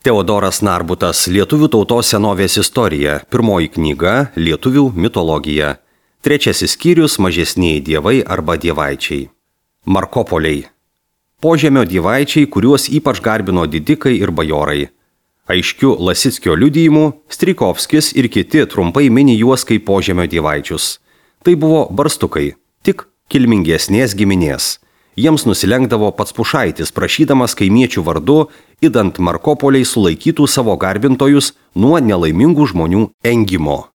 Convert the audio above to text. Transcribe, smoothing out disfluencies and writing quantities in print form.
Teodoras Narbutas, Lietuvių tautos senovės istorija, pirmoji knyga Lietuvių mitologija, trečiasis skyrius Mažesnieji dievai arba dievaičiai. Markopoliai. Požemio dievaičiai, kuriuos ypač garbino didikai ir bajorai. Aiškiu Lasickio liudijimu, Strijkovskis ir kiti trumpai mini juos kaip požemio dievaičius. Tai buvo barstukai, tik kilmingesnės giminės. Jiems nusilenkdavo pats Pušaitis, prašydamas kaimiečių vardu, idant Markopoliai sulaikytų savo garbintojus nuo nelaimingų žmonių engimo.